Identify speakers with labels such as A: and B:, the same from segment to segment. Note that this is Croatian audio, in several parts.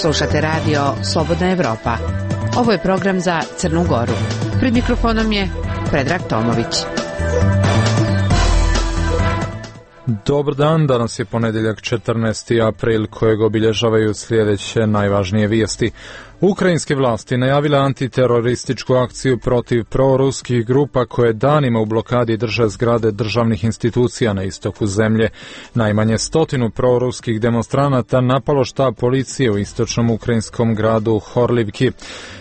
A: Slušate radio Slobodna Evropa. Ovo je program za Crnu Goru. Pred mikrofonom je Predrag Tomović.
B: Dobar dan, danas je ponedjeljak 14. april kojeg obilježavaju sljedeće najvažnije vijesti. Ukrajinske vlasti najavile antiterorističku akciju protiv proruskih grupa koje danima u blokadi drže zgrade državnih institucija na istoku zemlje. Najmanje 100 proruskih demonstranata napalo štab policije u istočnom ukrajinskom gradu Horlivki.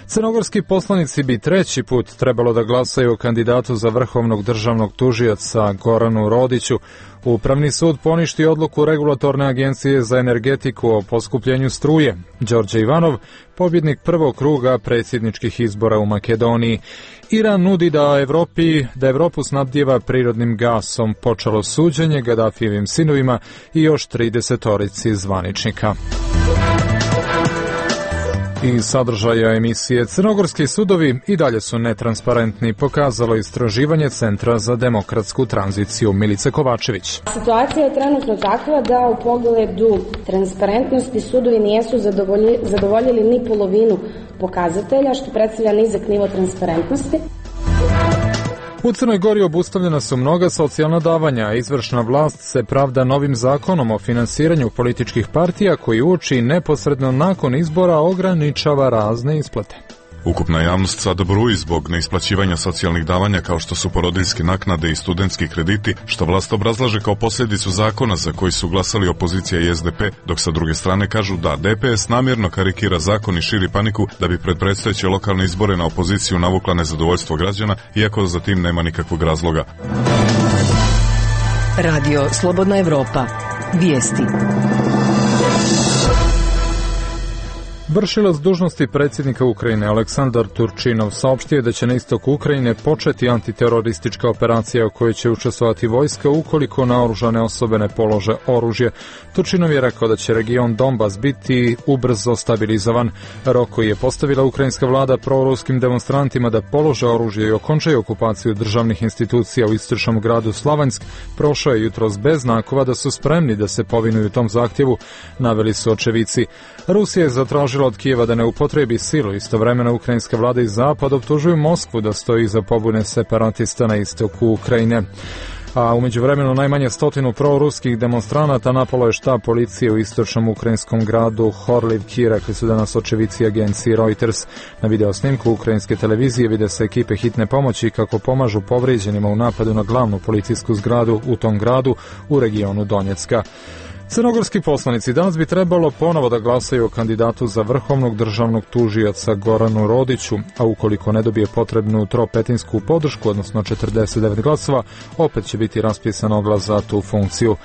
B: Crnogorski poslanici bi treći put trebalo da glasaju o kandidatu za vrhovnog državnog tužioca Goranu Rodiću. Upravni sud poništio odluku Regulatorne agencije za energetiku o poskupljenju struje. Đorđe Ivanov, pobjednik prvog kruga predsjedničkih izbora u Makedoniji. Iran nudi da Evropu snabdijeva prirodnim gasom. Počelo suđenje Gadafijevim sinovima i još 30 zvaničnika. Iz sadržaja emisije Crnogorski sudovi i dalje su netransparentni, pokazalo istraživanje Centra za demokratsku tranziciju. Milica Kovačević.
C: Situacija je trenutno takva da u pogledu transparentnosti sudovi nijesu zadovoljili ni polovinu pokazatelja, što predstavlja nizak nivo transparentnosti.
B: U Crnoj Gori obustavljena su mnoga socijalna davanja, a izvršna vlast se pravda novim zakonom o finansiranju političkih partija koji uoči neposredno nakon izbora ograničava razne isplate.
D: Ukupna javnost sada bruji zbog neisplaćivanja socijalnih davanja kao što su porodiljske naknade i studentski krediti, što vlast obrazlaže kao posljedicu zakona za koji su glasali opozicija i SDP, dok sa druge strane kažu da DPS namjerno karikira zakon i širi paniku da bi pred predstojeće lokalne izbore na opoziciju navukla nezadovoljstvo građana, iako za tim nema nikakvog razloga.
E: Radio Slobodna Evropa. Vijesti.
B: Vršilac dužnosti predsjednika Ukrajine Aleksandar Turčinov saopštio da će na istoku Ukrajine početi antiteroristička operacija u kojoj će učestvovati vojska ukoliko naoružane osobe ne polože oružje. Turčinov je rekao da će region Donbas biti ubrzo stabilizovan. Rok koji je postavila ukrajinska vlada proruskim demonstrantima da polože oružje i okončaju okupaciju državnih institucija u istočnom gradu Slavansk prošao je jutros bez znakova da su spremni da se povinuju tom zahtjevu, naveli su očevici. Rusija je zatražila od Kijeva da ne upotrebi silu. Istovremeno ukrajinska vlada i zapad optužuju Moskvu da stoji iza pobune separatista na istoku Ukrajine. A u međuvremenu najmanje 100 proruskih demonstranata napalo je štab policije u istočnom ukrajinskom gradu Horlivki, rekli su danas očevici agenciji Reuters. Na video snimku ukrajinske televizije vide se ekipe hitne pomoći kako pomažu povrijeđenima u napadu na glavnu policijsku zgradu u tom gradu u regionu Donjecka. Crnogorski poslanici danas bi trebalo ponovo da glasaju o kandidatu za vrhovnog državnog tužioca Goranu Rodiću, a ukoliko ne dobije potrebnu tropetinsku podršku, odnosno 49 glasova, opet će biti raspisan oglas za tu funkciju.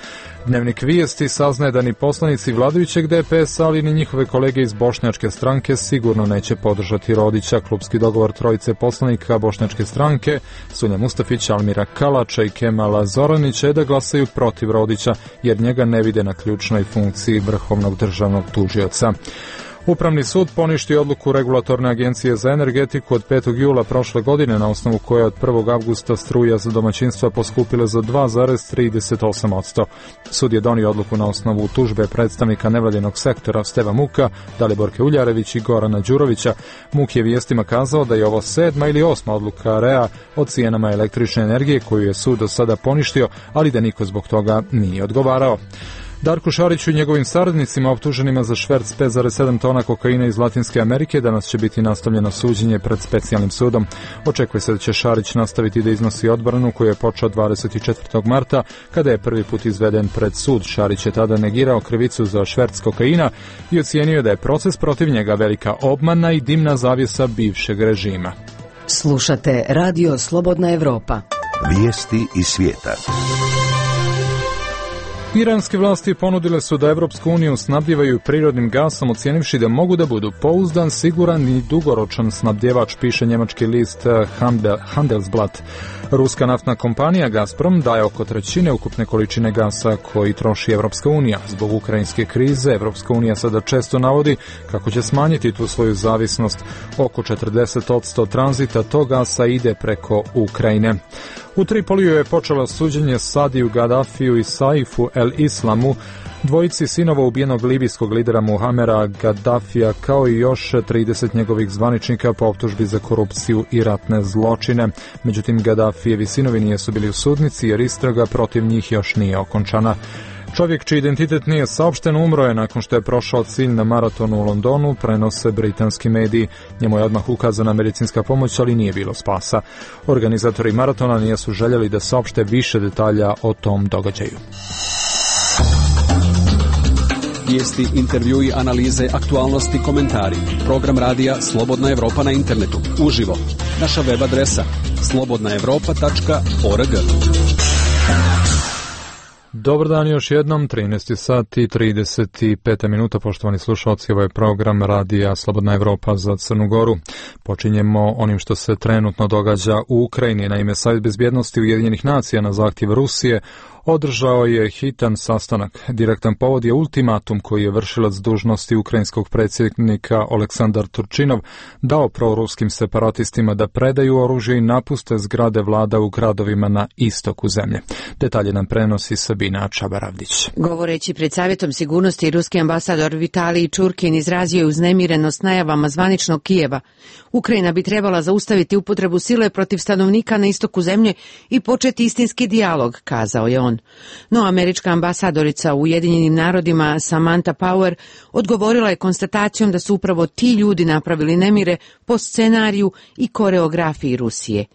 B: Dnevnik Vijesti saznaje da ni poslanici vladajućeg DPS, ali ni njihove kolege iz Bošnjačke stranke sigurno neće podržati Rodića. Klupski dogovor trojice poslanika Bošnjačke stranke, Sunja Mustafića, Almira Kalača i Kemala Zoranića je da glasaju protiv Rodića, jer njega ne vide na ključnoj funkciji vrhovnog državnog tužioca. Upravni sud poništio odluku Regulatorne agencije za energetiku od 5. jula prošle godine, na osnovu koje je od 1. avgusta struja za domaćinstva poskupila za 2,38%. Sud je donio odluku na osnovu tužbe predstavnika nevladinog sektora Steva Muka, Daliborke Uljarević i Gorana Đurovića. Muk je vijestima kazao da je ovo 7. ili 8. odluka REA o cijenama električne energije koju je sud do sada poništio, ali da niko zbog toga nije odgovarao. Darku Šariću i njegovim saradnicima optuženima za šverc 5,7 tona kokaina iz Latinske Amerike danas će biti nastavljeno suđenje pred specijalnim sudom. Očekuje se da će Šarić nastaviti da iznosi odbranu koju je počeo 24. marta kada je prvi put izveden pred sud. Šarić je tada negirao krivicu za šverc kokaina i ocijenio da je proces protiv njega velika obmana i dimna zavjesa bivšeg režima.
E: Slušate Radio Slobodna Evropa.
F: Vijesti iz svijeta.
B: Iranske vlasti ponudile su da Evropsku uniju snabdijevaju prirodnim gasom, ocijenivši da mogu da budu pouzdan, siguran i dugoročan snabdjevač, piše njemački list Handelsblatt. Ruska naftna kompanija Gazprom daje oko 1/3 ukupne količine gasa koji troši Evropska unija. Zbog ukrajinske krize Evropska unija sada često navodi kako će smanjiti tu svoju zavisnost. Oko 40% tranzita tog gasa ide preko Ukrajine. U Tripoliju je počelo suđenje Sadiju Gaddafiju i Saifu el-Islamu, dvojici sinova ubijenog libijskog lidera Muhamera Gaddafija, kao i još 30 njegovih zvaničnika po optužbi za korupciju i ratne zločine. Međutim, Gaddafijevi sinovi nisu bili u sudnici jer istraga protiv njih još nije okončana. Čovjek čiji identitet nije saopšten umro je nakon što je prošao cilj na maratonu u Londonu, prenose britanski mediji. Njemu je odmah ukazana medicinska pomoć, ali nije bilo spasa. Organizatori maratona nisu željeli da saopšte više detalja o tom događaju.
G: Vijesti, intervjui, analize, aktualnosti, komentari. Program radija Slobodna Evropa na internetu. Uživo. Naša web adresa slobodnaevropa.org.
B: Dobar dan još jednom, 13 sati i 35 minuta, poštovani slušalci, ovo je program radija Slobodna Evropa za Crnu Goru. Počinjemo onim što se trenutno događa u Ukrajini. Naime, Savjet bezbjednosti Ujedinjenih nacija na zahtjev Rusije održao je hitan sastanak. Direktan povod je ultimatum koji je vršilac dužnosti ukrajinskog predsjednika Oleksandar Turčinov dao proruskim separatistima da predaju oružje i napuste zgrade vlada u gradovima na istoku zemlje. Detalje nam prenosi Sabina Čabaravdić.
A: Govoreći pred Savjetom sigurnosti, ruski ambasador Vitalij Čurkin izrazio je uznemirenost najavama zvaničnog Kijeva. Ukrajina bi trebala zaustaviti upotrebu sile protiv stanovnika na istoku zemlje i početi istinski dijalog, kazao je on. No, američka ambasadorica u Ujedinjenim narodima Samantha Power odgovorila je konstatacijom da su upravo ti ljudi napravili nemire po scenariju i koreografiji Rusije.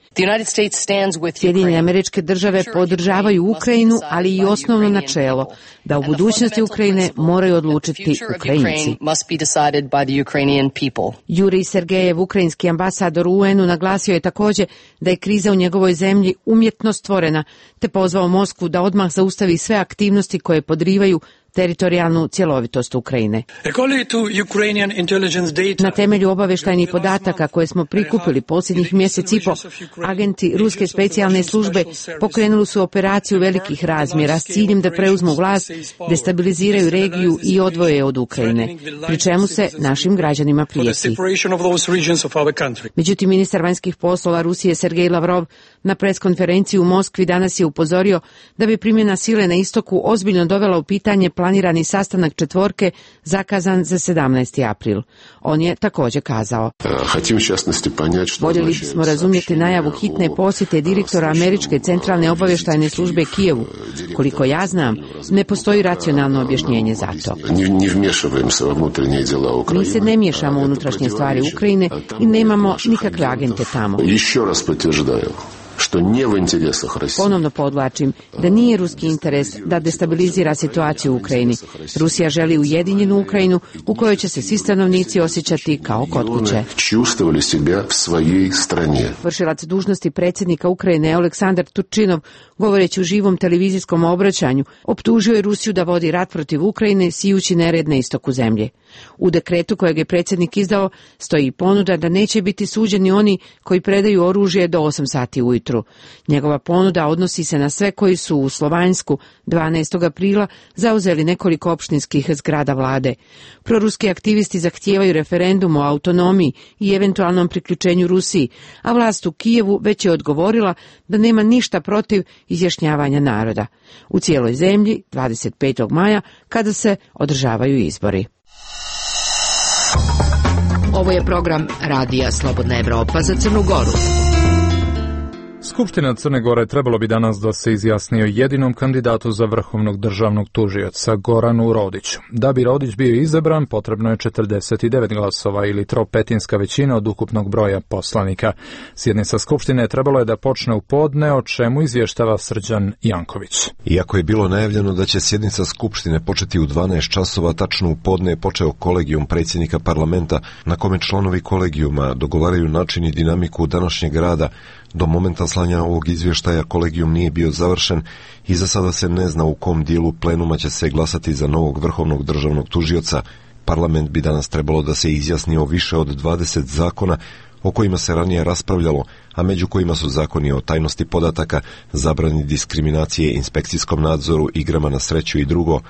A: Sjedinjene Američke Države podržavaju Ukrajinu, ali i osnovno načelo da u budućnosti Ukrajine moraju odlučiti Ukrajinci. Jurij Sergejev, ukrajinski ambasador u UN-u, naglasio je također da je kriza u njegovoj zemlji umjetno stvorena, te pozvao Moskvu da odmah zaustavi sve aktivnosti koje podrivaju teritorijalnu cjelovitost Ukrajine. Na temelju obavještajnih podataka koje smo prikupili posljednjih mjesec i po, agenti ruske specijalne službe pokrenuli su operaciju velikih razmjera s ciljem da preuzmu vlast, destabiliziraju regiju i odvoje je od Ukrajine, pri čemu se našim građanima prijeti. Međutim, ministar vanjskih poslova Rusije Sergej Lavrov na preskonferenciji u Moskvi danas je upozorio da bi primjena sile na istoku ozbiljno dovela u pitanje planirani sastanak četvorke zakazan za 17. april. On je također kazao: voljeli bismo razumjeti najavu hitne posjete direktora Američke centralne obavještajne službe Kijevu. Koliko ja znam, ne postoji racionalno objašnjenje za to. Mi se ne miješamo u unutrašnje stvari Ukrajine i nemamo nikakve agente tamo. Ponovno podvlačim da nije ruski interes da destabilizira situaciju u Ukrajini. Rusija želi ujedinjenu Ukrajinu u kojoj će se svi stanovnici osjećati kao kod kuće. Vršilac dužnosti predsjednika Ukrajine Oleksandar Turčinov, govoreći u živom televizijskom obraćanju, optužio je Rusiju da vodi rat protiv Ukrajine sijući nered na istoku zemlje. U dekretu kojeg je predsjednik izdao stoji ponuda da neće biti suđeni oni koji predaju oružje do 8 sati ujutru. Njegova ponuda odnosi se na sve koji su u Slovanjsku 12. aprila zauzeli nekoliko opštinskih zgrada vlade. Proruski aktivisti zahtijevaju referendum o autonomiji i eventualnom priključenju Rusiji, a vlast u Kijevu već je odgovorila da nema ništa protiv izjašnjavanja naroda. U cijeloj zemlji 25. maja kada se održavaju izbori.
E: Ovo je program radija Slobodna Evropa za Crnu Goru.
B: Skupština Crne Gore trebalo bi danas da se izjasni o jedinom kandidatu za vrhovnog državnog tužioca, Goranu Rodiću. Da bi Rodić bio izabran, potrebno je 49 glasova ili tropetinska većina od ukupnog broja poslanika. Sjednica Skupštine trebalo je da počne u podne, o čemu izvještava Srđan Janković.
F: Iako je bilo najavljeno da će sjednica Skupštine početi u 12 časova, tačno u podne je počeo kolegijum predsjednika parlamenta, na kome članovi kolegijuma dogovaraju način i dinamiku današnjeg rada. Do momenta slanja ovog izvještaja kolegijum nije bio završen i za sada se ne zna u kom dijelu plenuma će se glasati za novog vrhovnog državnog tužioca. Parlament bi danas trebalo da se izjasni o više od 20 zakona o kojima se ranije raspravljalo, a među kojima su zakoni o tajnosti podataka, zabrani diskriminacije, inspekcijskom nadzoru, igrama na sreću i drugo.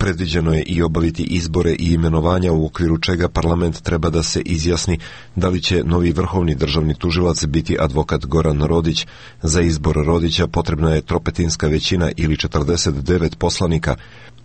F: Predviđeno je i obaviti izbore i imenovanja u okviru čega parlament treba da se izjasni da li će novi vrhovni državni tužilac biti advokat Goran Rodić. Za izbor Rodića potrebna je tropetinska većina ili 49 poslanika.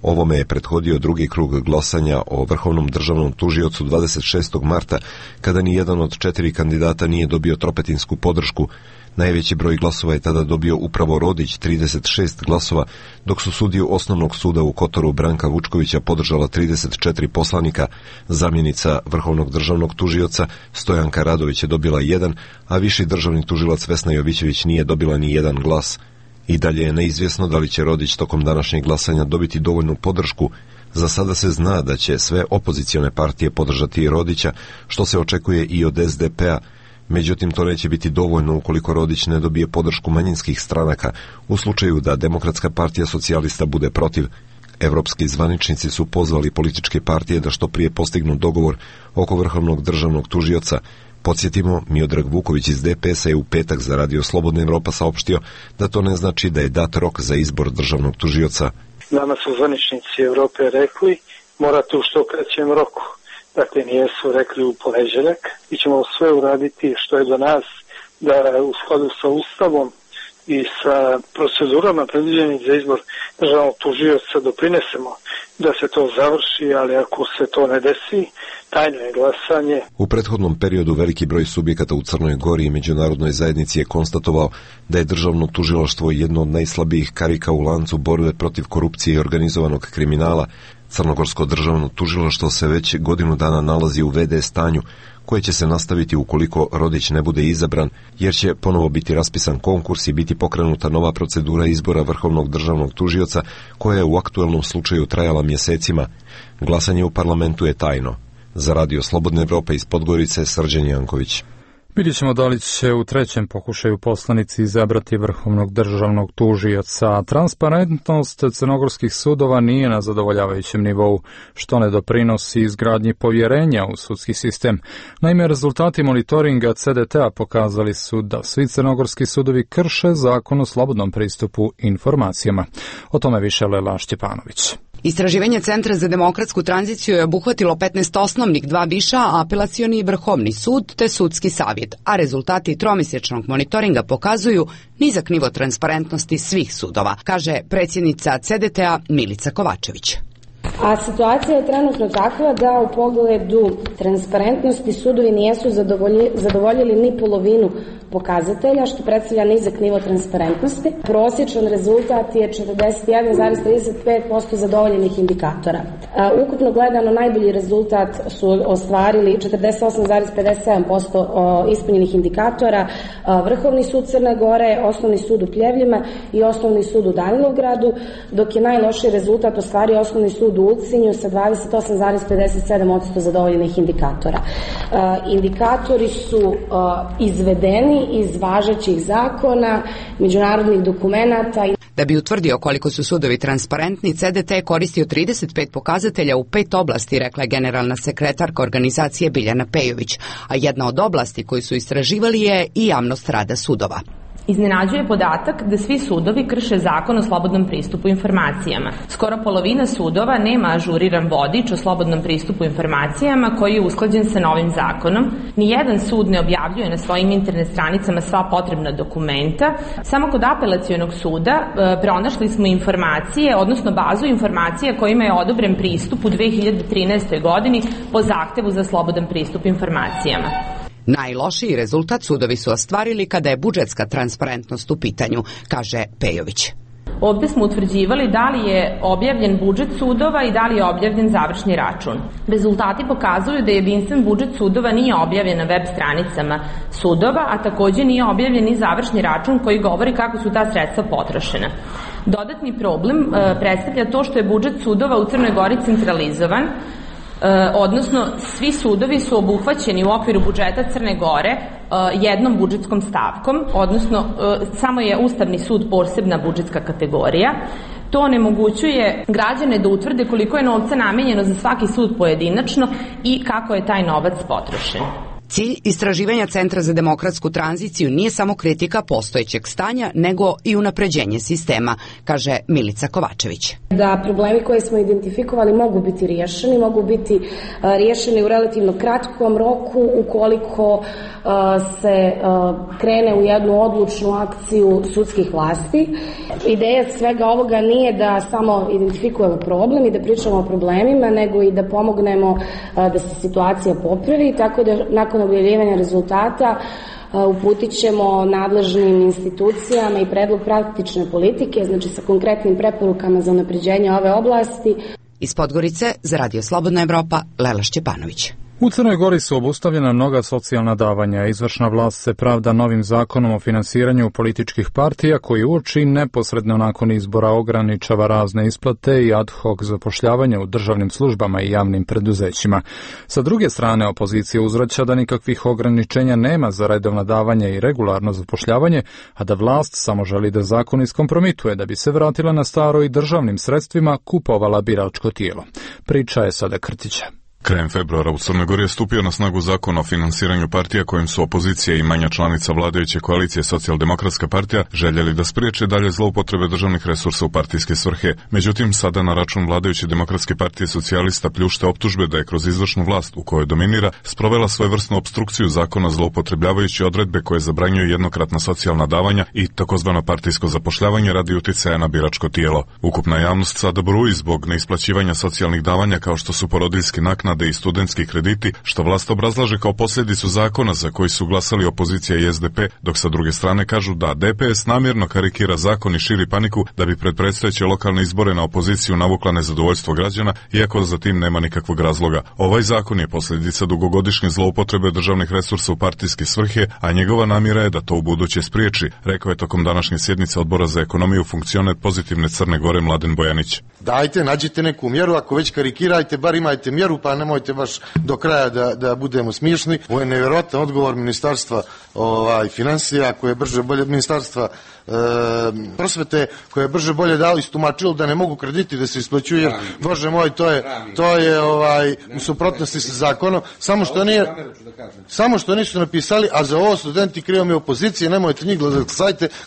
F: Ovome je prethodio drugi krug glasanja o vrhovnom državnom tužiocu 26. marta, kada ni jedan od 4 kandidata nije dobio tropetinsku podršku. Najveći broj glasova je tada dobio upravo Rodić, 36 glasova, dok su sudiju Osnovnog suda u Kotoru Branka Vučkovića podržala 34 poslanika. Zamjenica vrhovnog državnog tužioca Stojanka Radović je dobila 1, a viši državni tužilac Vesna Jovićević nije dobila ni 1 glas. I dalje je neizvjesno da li će Rodić tokom današnjeg glasanja dobiti dovoljnu podršku. Za sada se zna da će sve opozicione partije podržati Rodića, što se očekuje i od SDP-a. Međutim, to neće biti dovoljno ukoliko Rodić ne dobije podršku manjinskih stranaka, u slučaju da Demokratska partija socijalista bude protiv. Evropski zvaničnici su pozvali političke partije da što prije postignu dogovor oko vrhovnog državnog tužioca. Podsjetimo, Miodrag Vuković iz DPS-a je u petak za Radio Slobodna Evropa saopštio da to ne znači da je dat rok za izbor državnog tužioca.
H: Nama su zvaničnici Evrope rekli, morate u što kraćem roku. Dakle, nijesu rekli u ponedeljak. Mi ćemo sve uraditi što je do nas da u skladu sa Ustavom i sa procedurama predviđenih za izbor državnog tužioca doprinesemo da se to završi, ali ako se to ne desi, tajno je glasanje.
F: U prethodnom periodu veliki broj subjekata u Crnoj Gori i međunarodnoj zajednici je konstatovao da je državno tužilaštvo jedno od najslabijih karika u lancu borbe protiv korupcije i organizovanog kriminala. Crnogorsko državno tužilaštvo se već godinu dana nalazi u VD stanju, koje će se nastaviti ukoliko Rodić ne bude izabran, jer će ponovo biti raspisan konkurs i biti pokrenuta nova procedura izbora vrhovnog državnog tužioca, koja je u aktuelnom slučaju trajala mjesecima. Glasanje u parlamentu je tajno. Za Radio Slobodna Evropa iz Podgorice, Srđan Janković.
B: Vidjet ćemo da li će u trećem pokušaju poslanici izabrati vrhovnog državnog tužioca. Transparentnost crnogorskih sudova nije na zadovoljavajućem nivou, što ne doprinosi izgradnji povjerenja u sudski sistem. Naime, rezultati monitoringa CDT-a pokazali su da svi crnogorski sudovi krše zakon o slobodnom pristupu informacijama. O tome više Lela Šćepanović.
E: Istraživanje Centra za demokratsku tranziciju je obuhvatilo 15 osnovnih, 2 viša, apelacioni i vrhovni sud te sudski savjet, a rezultati tromjesečnog monitoringa pokazuju nizak nivo transparentnosti svih sudova, kaže predsjednica CDT-a Milica Kovačević.
C: A situacija je trenutno takva da u pogledu transparentnosti sudovi nijesu zadovoljili ni polovinu pokazatelja, što predstavlja nizak nivo transparentnosti. Prosječan rezultat je 41,35% zadovoljenih indikatora. Ukupno gledano najbolji rezultat su ostvarili 48,57% ispunjenih indikatora Vrhovni sud Crne Gore, Osnovni sud u Pljevljima i Osnovni sud u Danilovgradu, dok je najlošiji rezultat ostvario Osnovni sud u Ulcinju sa 28,57% zadovoljenih indikatora. Indikatori su izvedeni iz važećih zakona, međunarodnih dokumenata.
E: Da bi utvrdio koliko su sudovi transparentni, CDT je koristio 35 pokazatelja u 5 oblasti, rekla je generalna sekretarka organizacije Biljana Pejović, a jedna od oblasti koju su istraživali je i javnost rada sudova.
I: Iznenađuje podatak da svi sudovi krše zakon o slobodnom pristupu informacijama. Skoro polovina sudova nema ažuriran vodič o slobodnom pristupu informacijama koji je usklađen sa novim zakonom. Nijedan sud ne objavljuje na svojim internet stranicama sva potrebna dokumenta. Samo kod apelacionog suda pronašli smo informacije, odnosno bazu informacija kojima je odobren pristup u 2013. godini po zahtevu za slobodan pristup informacijama.
E: Najlošiji rezultat sudovi su ostvarili kada je budžetska transparentnost u pitanju, kaže Pejović.
I: Ovde smo utvrđivali da li je objavljen budžet sudova i da li je objavljen završni račun. Rezultati pokazuju da jedinstven budžet sudova nije objavljen na web stranicama sudova, a takođe nije objavljen i završni račun koji govori kako su ta sredstva potrošena. Dodatni problem predstavlja to što je budžet sudova u Crnoj Gori centralizovan, odnosno svi sudovi su obuhvaćeni u okviru budžeta Crne Gore jednom budžetskom stavkom, odnosno samo je Ustavni sud posebna budžetska kategorija. To onemogućuje građane da utvrde koliko je novca namenjeno za svaki sud pojedinačno i kako je taj novac potrošen.
E: Cilj istraživanja Centra za demokratsku tranziciju nije samo kritika postojećeg stanja, nego i unapređenje sistema, kaže Milica Kovačević.
C: Da problemi koje smo identifikovali mogu biti riješeni u relativno kratkom roku ukoliko se krene u jednu odlučnu akciju sudskih vlasti. Ideja svega ovoga nije da samo identifikujemo problem i da pričamo o problemima, nego i da pomognemo da se situacija popravi, tako da nakon objavljivanja rezultata uputit ćemo nadležnim institucijama i predlog praktične politike, znači sa konkretnim preporukama za unapređenje ove oblasti.
E: Iz Podgorice za Radio Slobodna Evropa, Lela Šćepanović.
B: U Crnoj Gori su obustavljena mnoga socijalna davanja. Izvršna vlast se pravda novim zakonom o finansiranju političkih partija koji uoči neposredno nakon izbora ograničava razne isplate i ad hoc zapošljavanje u državnim službama i javnim preduzećima. Sa druge strane, opozicija uzvraća da nikakvih ograničenja nema za redovna davanja i regularno zapošljavanje, a da vlast samo želi da zakon iskompromituje da bi se vratila na staro i državnim sredstvima kupovala biračko tijelo. Priča je Sada Krtića.
D: Krajem februara u Crnoj Gori je stupio na snagu zakon o finansiranju partija kojim su opozicija i manja članica vladajuće koalicije Socijaldemokratska partija željeli da spriječe dalje zloupotrebe državnih resursa u partijske svrhe. Međutim, sada na račun vladajuće Demokratske partije socijalista pljušte optužbe da je kroz izvršnu vlast u kojoj dominira sprovela svojevrsnu opstrukciju zakona zloupotrebljavajući odredbe koje zabranjuju jednokratna socijalna davanja i takozvano partijsko zapošljavanje radi uticaja na biračko tijelo. Ukupna javnost sada bruji zbog neisplaćivanja socijalnih davanja kao što su porodiljske naknade i studentski krediti, što vlast obrazlaže kao posljedicu zakona za koji su glasali opozicija i SDP, dok sa druge strane kažu da DPS namjerno karikira zakon i širi paniku da bi pred predstojeće lokalne izbore na opoziciju navukla nezadovoljstvo građana, iako za tim nema nikakvog razloga. Ovaj zakon je posljedica dugogodišnje zloupotrebe državnih resursa u partijske svrhe, a njegova namjera je da to u buduće spriječi, rekao je tokom današnje sjednice Odbora za ekonomiju funkcioner Pozitivne Crne Gore Mladen Bojanić.
J: Dajte, nađite neku mjeru, ako već karikirajte, bar imajte mjeru, pa nemojte baš do kraja da budemo smiješni. Ovo je nevjerojatan odgovor ministarstva financija koje je brže bolje, ministarstva prosvete koje je brže bolje dali istumačilo da ne mogu krediti da se isplaćuju, jer bože moj, to je u suprotnosti sa zakonom, samo što nisu napisali, a za ovo studenti krivo mi opozicije, nemojte njih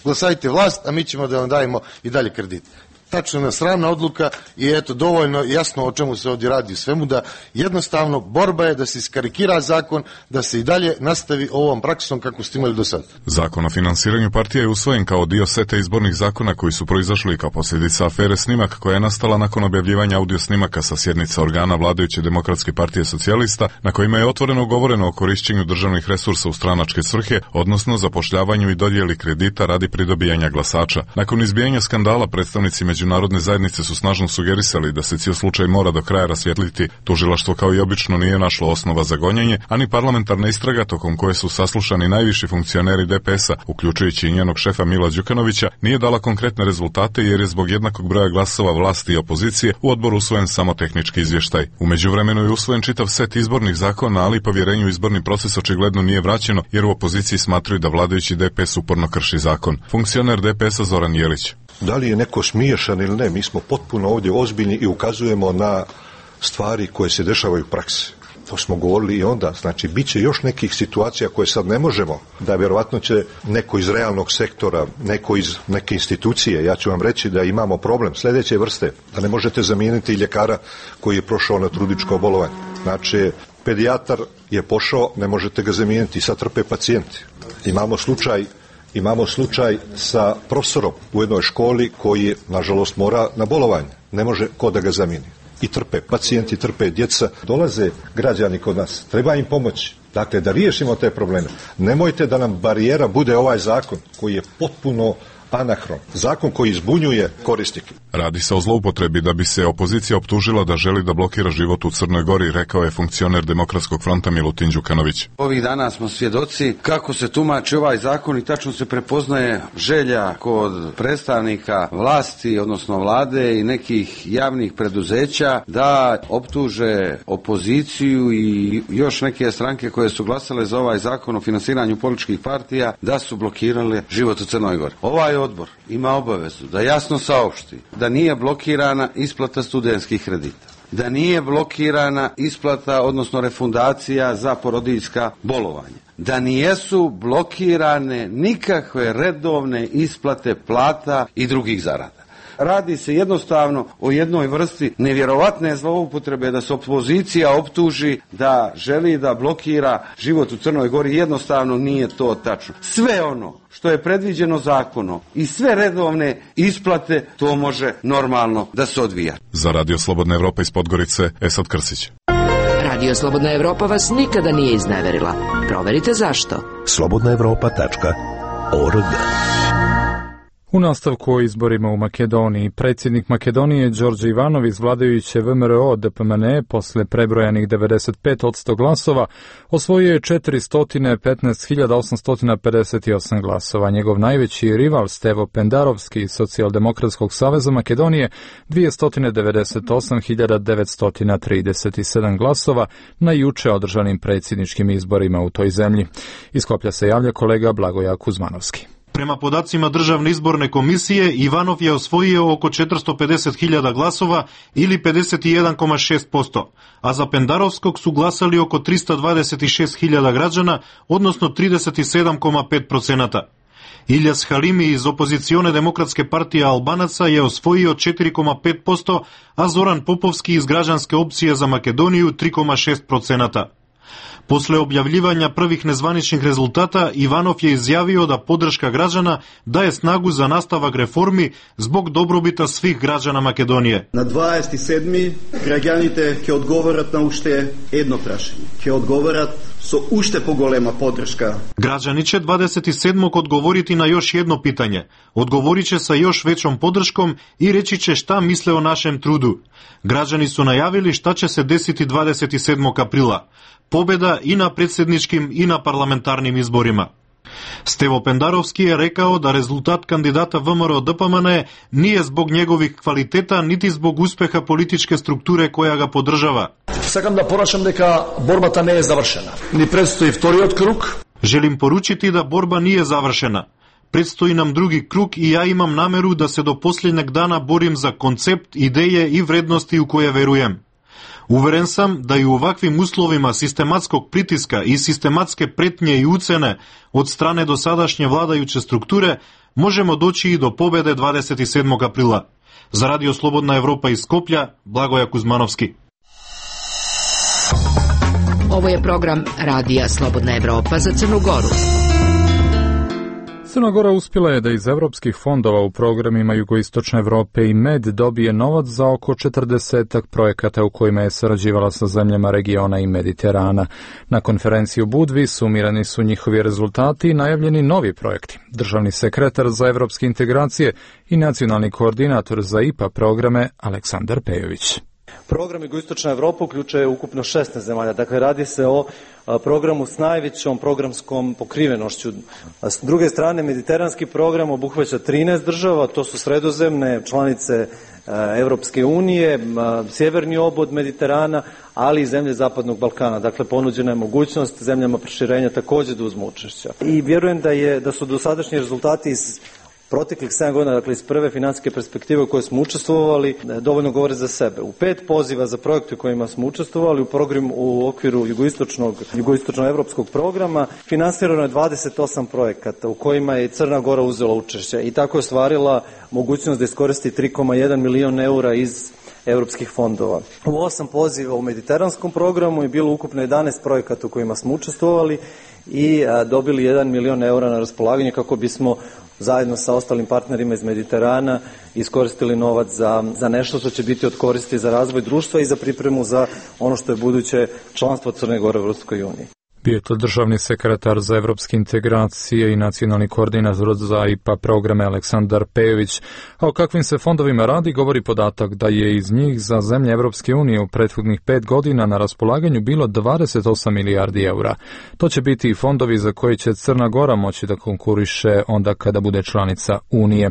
J: glasajte vlast, a mi ćemo da vam dajemo i dalje kredit. Tačno sramna odluka i eto dovoljno jasno o čemu se ovdje radi svemu, da jednostavno borba je da se iskarikira zakon, da se i dalje nastavi ovom praksom kako ste imali do sada.
D: Zakon o finansiranju partija je usvojen kao dio seta izbornih zakona koji su proizašli kao posljedica afere Snimak koja je nastala nakon objavljivanja audio snimaka sa sjednica organa vladajuće Demokratske partije socijalista na kojima je otvoreno govoreno o korišćenju državnih resursa u stranačke svrhe, odnosno zapošljavanju i dodjeli kredita radi pridobijanja glasača. Nakon izbijanja skandala predstavnici međunarodne zajednice su snažno sugerisali da se cijel slučaj mora do kraja rasvijetliti. Tužilaštvo kao i obično nije našlo osnova za gonjenje, ani parlamentarna istraga tokom koje su saslušani najviši funkcioneri DPS-a, uključujući i njenog šefa Mila Đukanovića, nije dala konkretne rezultate jer je zbog jednakog broja glasova vlasti i opozicije u odboru usvojen samo tehnički izvještaj. U međuvremenu je usvojen čitav set izbornih zakona, ali povjerenju u izborni proces očigledno nije vraćeno jer u opoziciji smatraju da vladajući DPS uporno krši zakon. Funkcioner DPS-a Zoran Jelić.
K: Da li je neko smiješan ili ne, mi smo potpuno ovdje ozbiljni i ukazujemo na stvari koje se dešavaju u praksi. To smo govorili i onda, znači bit će još nekih situacija koje sad ne možemo, da vjerovatno će neko iz realnog sektora, neko iz neke institucije, ja ću vam reći da imamo problem sljedeće vrste, da ne možete zamijeniti ljekara koji je prošao na trudničko bolovanje. Znači, pedijatar je pošao, ne možete ga zamijeniti, sad trpe pacijenti. Imamo slučaj sa profesorom u jednoj školi koji, nažalost, mora na bolovanje. Ne može ko da ga zamijeni. I trpe pacijenti, trpe djeca. Dolaze građani kod nas. Treba im pomoći. Dakle, da riješimo te probleme. Nemojte da nam barijera bude ovaj zakon koji je potpuno anahron. Zakon koji zbunjuje korisnike.
D: Radi se o zloupotrebi da bi se opozicija optužila da želi da blokira život u Crnoj Gori, rekao je funkcioner Demokratskog fronta Milutin Đukanović.
L: Ovih dana smo svjedoci kako se tumači ovaj zakon i tačno se prepoznaje želja kod predstavnika vlasti, odnosno vlade i nekih javnih preduzeća da optuže opoziciju i još neke stranke koje su glasale za ovaj zakon o finansiranju političkih partija da su blokirale život u Crnoj Gori. Ovaj odbor ima obavezu da jasno saopšti da nije blokirana isplata studentskih kredita. da nije blokirana isplata, odnosno refundacija za porodiljska bolovanja, da nijesu blokirane nikakve redovne isplate plata i drugih zarada. Radi se jednostavno o jednoj vrsti nevjerovatne zloupotrebe da se opozicija optuži da želi da blokira život u Crnoj Gori. Jednostavno nije to tačno. Sve ono što je predviđeno zakonom i sve redovne isplate, to može normalno da se odvija.
D: Za Radio Slobodna Evropa iz Podgorice, Esad Krsić.
M: Radio Slobodna Evropa vas nikada nije izneverila. Proverite zašto. slobodnaevropa.org.
B: U nastavku o izborima u Makedoniji, predsjednik Makedonije Đorđe Ivanov iz vladajuće VMRO DPMNE posle prebrojanih 95% glasova osvojio je 415.858 glasova. Njegov najveći rival Stevo Pendarovski iz Socijaldemokratskog saveza Makedonije 298.937 glasova na juče održanim predsjedničkim izborima u toj zemlji. Iz Skoplja se javlja kolega Blagoja Kuzmanovski.
N: Prema podacima Državne izborne komisije, Ivanov je osvojio oko 450.000 glasova ili 51,6%, a za Pendarovskog su glasali oko 326.000 građana, odnosno 37,5%. Iljas Halimi iz opozicione demokratske partije Albanaca je osvojio 4,5%, a Zoran Popovski iz građanske opcije za Makedoniju 3,6%. Posle objavljivanja prvih nezvaničnih rezultata, Ivanov je izjavio da podrška građana daje snagu za nastavak reformi zbog dobrobita svih građana Makedonije.
O: Na 27. građanite ќе odgovorat na ušte jedno prašenje. Ќе odgovorat so ušte poголема podrška.
N: Građani će 27. odgovoriti na još jedno pitanje. Odgovorit će sa još većom podrškom i reći će šta misle o našem trudu. Građani su najavili šta će se desiti 27. aprila. Pobjeda i na predsjedničkim i na parlamentarnim izborima. Stevo Pendarovski je rekao da rezultat kandidata VMRO DPMNE nije zbog njegovih kvaliteta niti zbog uspeha političke strukture koja ga podržava.
P: Сакам да порачам дека борбата не е завршена. Ни предстои вториот круг.
N: Želim poručiti da borba nije završena. Predstoji nam drugi krug i ja imam nameru da se do posljednjeg dana borim za koncept, ideje i vrednosti u koje verujem. Uveren sam da i u ovakvim uslovima sistematskog pritiska i sistematske pretnje i ucene od strane dosadašnje vladajuće strukture možemo doći i do pobjede 27. aprila. Za Radio Slobodna Evropa iz Skoplja, Blagoja Kuzmanovski.
M: Ovo je program Radija Slobodna Evropa za Crnu Goru.
B: Crna Gora uspjela je da iz evropskih fondova u programima Jugoistočne Evrope i MED dobije novac za oko 40 projekata u kojima je sarađivala sa zemljama regiona i Mediterana. Na konferenciji u Budvi sumirani su njihovi rezultati i najavljeni novi projekti. Državni sekretar za evropske integracije i nacionalni koordinator za IPA programe Aleksandar Pejović.
Q: Program Jugoistočna Evropa uključuje ukupno 16 zemalja, dakle radi se o programu s najvećom programskom pokrivenošću. S druge strane, mediteranski program obuhvaća 13 država, to su sredozemne članice Evropske unije, sjeverni obod Mediterana, ali i zemlje Zapadnog Balkana. Dakle, ponuđena je mogućnost zemljama proširenja također da uzmu učešća. I vjerujem da su dosadašnji rezultati iz proteklih 7 godina, dakle iz prve financijske perspektive u kojoj smo učestvovali, dovoljno govore za sebe. U 5 poziva za projekte u kojima smo učestvovali u okviru jugoistočno-evropskog programa finansirano je 28 projekata u kojima je Crna Gora uzela učešće i tako je ostvarila mogućnost da iskoristi 3,1 milion eura iz evropskih fondova. U 8 poziva u mediteranskom programu je bilo ukupno 11 projekata u kojima smo učestvovali i dobili 1 milion eura na raspolaganje kako bismo zajedno sa ostalim partnerima iz Mediterana iskoristili novac za nešto što će biti od koristi za razvoj društva i za pripremu za ono što je buduće članstvo Crne Gore u Evropskoj uniji.
B: Bio je to državni sekretar za evropske integracije i nacionalni koordinator za IPA programe Aleksandar Pejović. A o kakvim se fondovima radi govori podatak da je iz njih za zemlje Evropske unije u prethodnih 5 godina na raspolaganju bilo 28 milijardi eura. To će biti i fondovi za koje će Crna Gora moći da konkuriše onda kada bude članica Unije.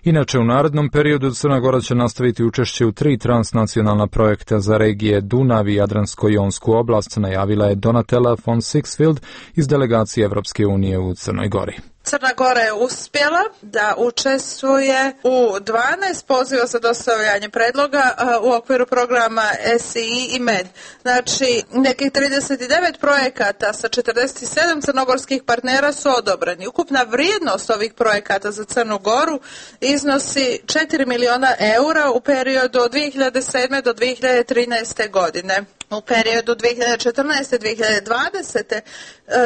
B: Inače, u narednom periodu Crna Gora će nastaviti učešće u 3 transnacionalna projekta za regije Dunav i Jadransko-jonsku oblast, najavila je Donatella von Sixfield iz delegacije Evropske unije u Crnoj Gori.
R: Crna Gora je uspjela da učestvuje u 12 poziva za dostavljanje predloga u okviru programa SII i MED. Znači, nekih 39 projekata sa 47 crnogorskih partnera su odobreni. Ukupna vrijednost ovih projekata za Crnu Goru iznosi 4 miliona eura u periodu od 2007. do 2013. godine. U periodu 2014-2020.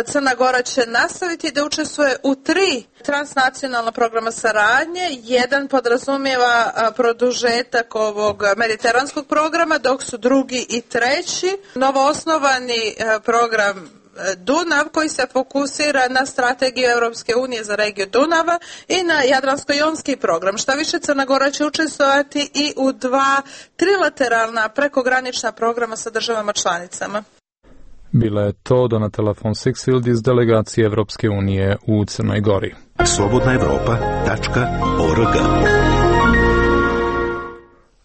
R: Crna Gora će nastaviti da učestvuje u 3 transnacionalna programa saradnje. Jedan podrazumijeva produžetak ovog mediteranskog programa, dok su drugi i treći novoosnovani program Dunav, koji se fokusira na strategiju Europske unije za regiju Dunava i na Jadransko-jonski program. Šta više, Crna Gora će učestvovati i u 2 trilateralna prekogranična programa sa državama članicama.
B: Bila je to Donatella von Sigsfield iz delegacije Evropske unije u Crnoj Gori.
S: slobodnaevropa.org.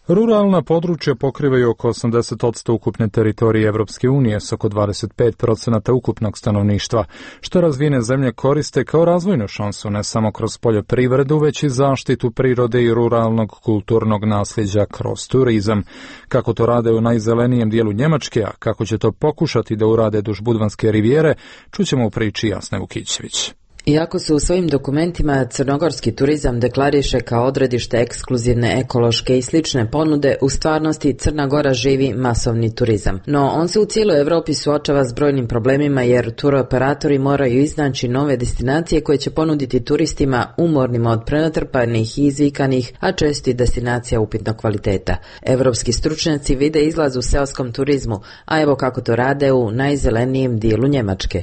B: Ruralna područja pokrivaju oko 80% ukupne teritorije Evropske unije s oko 25% ukupnog stanovništva, što razvijene zemlje koriste kao razvojnu šansu ne samo kroz poljoprivredu, već i zaštitu prirode i ruralnog kulturnog nasljeđa kroz turizam. Kako to rade u najzelenijem dijelu Njemačke, a kako će to pokušati da urade duž Budvanske rivijere, čućemo u priči Jasne Vukićević.
T: Iako se u svojim dokumentima crnogorski turizam deklariše kao odredište ekskluzivne ekološke i slične ponude, u stvarnosti Crna Gora živi masovni turizam. No, on se u cijeloj Evropi suočava s brojnim problemima jer turoperatori moraju iznaći nove destinacije koje će ponuditi turistima umornima od prenatrpanih i izvikanih, a često i destinacija upitnog kvaliteta. Evropski stručnjaci vide izlaz u seoskom turizmu, a evo kako to rade u najzelenijem dijelu Njemačke.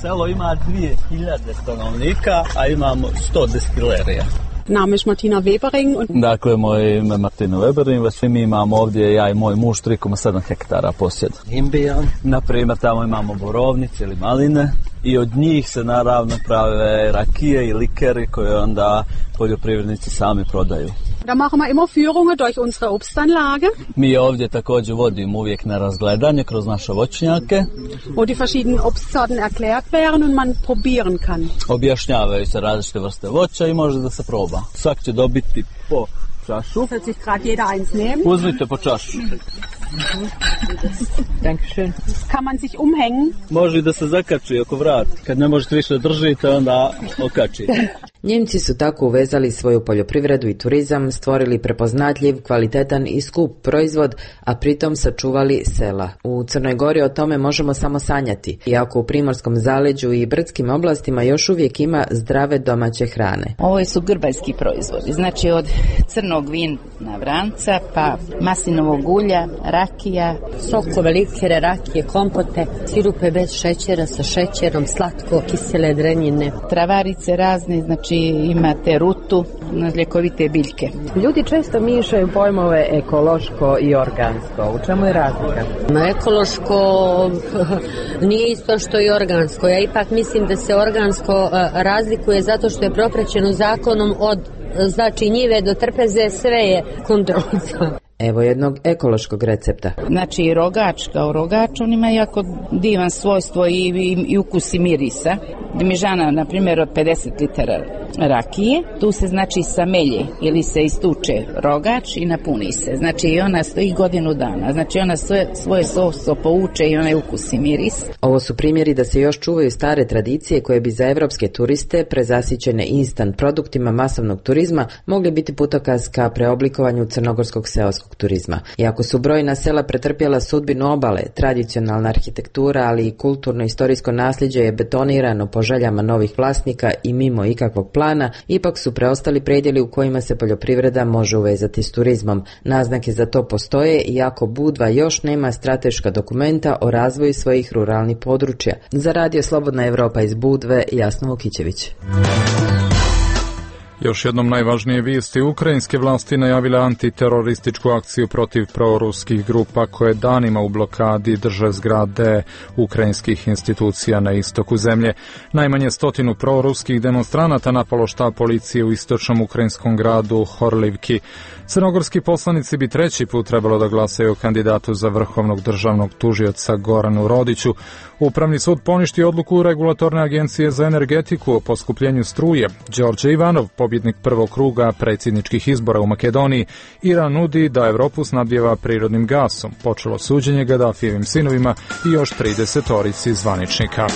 U: Selo ima 2000 stanovnika, a imamo 100 destilerija.
V: Name je Martina Webering.
U: Dakle, moje ime je Martina Webering, mi imamo ovdje, ja i moj muž, 3,7 hektara posjeda.
V: Imbijan.
U: Naprimjer, tamo imamo borovnice ili maline i od njih se naravno prave rakije i likeri koje onda poljoprivrednici sami prodaju.
V: Da machen wir immer Führungen durch unsere Obstanlage.
U: Mi ovdje također vodimo uvijek na razgledanje kroz naše voćnjake.
V: Wo die verschiedenen Obstsorten erklärt werden und man probieren kann.
U: Objašnjavaju se različite vrste voća i može da se proba. Svak će dobiti po čašu.
V: Wird sich grad jeder eins nehmen.
U: Uzmite po čašu.
V: Dankeschön. Kann man sich umhängen?
U: Može da se zakači oko vrata. Kad ne možete više držite, onda okačite.
T: Njemci su tako uvezali svoju poljoprivredu i turizam, stvorili prepoznatljiv, kvalitetan i skup proizvod, a pritom sačuvali sela. U Crnoj Gori o tome možemo samo sanjati, iako u Primorskom zaleđu i brdskim oblastima još uvijek ima zdrave domaće hrane.
W: Ovo su grbaljski proizvodi, znači od crnog vina vranca, pa maslinovog ulja, rakija,
X: sokove, likere, rakije, kompote, sirupe bez šećera, sa šećerom, slatko, kisele drenjine.
W: Travarice razne, znači imate rutu, ljekovite biljke.
Y: Ljudi često miješaju pojmove ekološko i organsko. U čemu je razlika?
X: Ekološko nije isto što i organsko. Ja ipak mislim da se organsko razlikuje zato što je propraćeno zakonom od znači njive do trpeze, sve je kontrolisano.
T: Evo jednog ekološkog recepta.
W: Znači rogač kao rogač, on ima jako divan svojstvo i ukus i mirisa. Dimižana, na primjer, od 50 litara rakije, tu se znači samelje ili se istuče rogač i napuni se. Znači ona stoji godinu dana, znači ona svoje svojstvo pouče i onaj ukus i miris.
T: Ovo su primjeri da se još čuvaju stare tradicije koje bi za evropske turiste, prezasićene instant produktima masovnog turizma, mogli biti putokaz ka preoblikovanju crnogorskog seoskog turizma. Iako su brojna sela pretrpjela sudbinu obale, tradicionalna arhitektura, ali i kulturno-istorijsko nasljeđe je betonirano po željama novih vlasnika i mimo ikakvog plana, ipak su preostali predjeli u kojima se poljoprivreda može uvezati s turizmom. Naznake za to postoje, iako Budva još nema strateška dokumenta o razvoju svojih ruralnih područja. Za Radio Slobodna Evropa iz Budve, Jasna Vukićević.
B: Još jednom najvažnije vijesti. Ukrajinske vlasti najavile antiterorističku akciju protiv proruskih grupa koje danima u blokadi drže zgrade ukrajinskih institucija na istoku zemlje. Najmanje 100 proruskih demonstranata napalo štab policije u istočnom ukrajinskom gradu Horlivki. Crnogorski poslanici bi treći put trebalo da glasaju o kandidatu za vrhovnog državnog tužioca Goranu Rodiću. Upravni sud poništio odluku Regulatorne agencije za energetiku o poskupljenju struje. Đorđe Ivanov, pobjednik prvog kruga predsjedničkih izbora u Makedoniji, Iran nudi da Evropu snabdjeva prirodnim gasom. Počelo suđenje Gadafijevim sinovima i još 30 zvaničnika.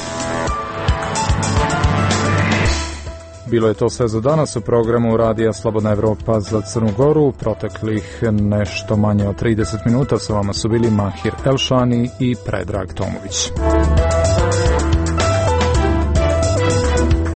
B: Bilo je to sve za danas u programu Radija Slobodna Evropa za Crnu Goru. Proteklih nešto manje od 30 minuta sa vama su bili Mahir Elšani i Predrag Tomović.